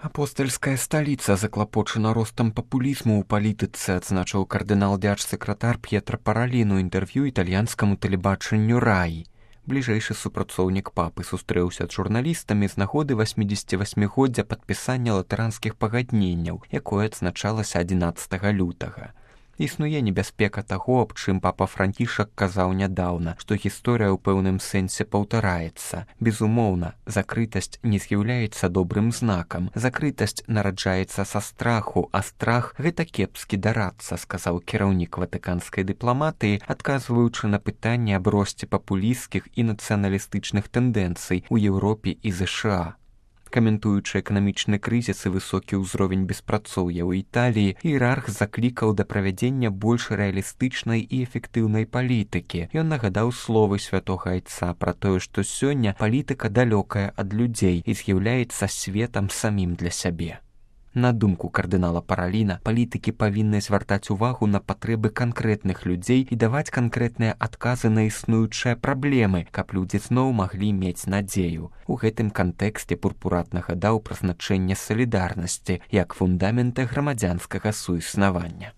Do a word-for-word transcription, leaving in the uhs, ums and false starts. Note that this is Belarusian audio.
Апостальская сталіца заклапочана ростам папулізму ў палітыцы, адзначыў кардынал дзяржсакратар П'етра Паралін у інтэрв'ю італьянскаму тэлебачанню «Рай». Бліжэйшы супрацоўнік папы сустрэўся з журналістамі з нагоды васьмідзесяцівасьмігоддзя падпісання латэранскіх пагадненняў, якое адзначалася адзінаццатага лютага. Існуе небяспека таго, аб чым папа Францішак казаў нядаўна, што гісторыя ў пэўным сэнсе паўтараецца. Безумоўна, закрытасць не з'яўляецца добрым знакам. Закрытасць нараджаецца са страху, а страх — гэта кепскі дарадца, сказаў кіраўнік ватыканскай дыпламатыі, адказваючы на пытанне аб росце папулісцкіх і нацыяналістычных тэндэнцый у Еўропе і ЗША. Каментуючы эканамічны крызіс і высокі ўзровень беспрацоўя ў Італіі, іерарх заклікаў да правядзення больш рэалістычнай і эфектыўнай палітыкі. Ён нагадаў словы святога айца пра тое, што сёння палітыка далёкая ад людзей і з'яўляецца светам самім для сябе. На думку кардынала Параліна, палітыкі павінны звяртаць увагу на патрэбы канкрэтных людзей і даваць канкрэтныя адказы на існуючыя праблемы, каб людзі зноў маглі мець надзею. У гэтым кантэксце пурпурат нагадаў пра значэнне салідарнасці як фундамента грамадзянскага суіснавання.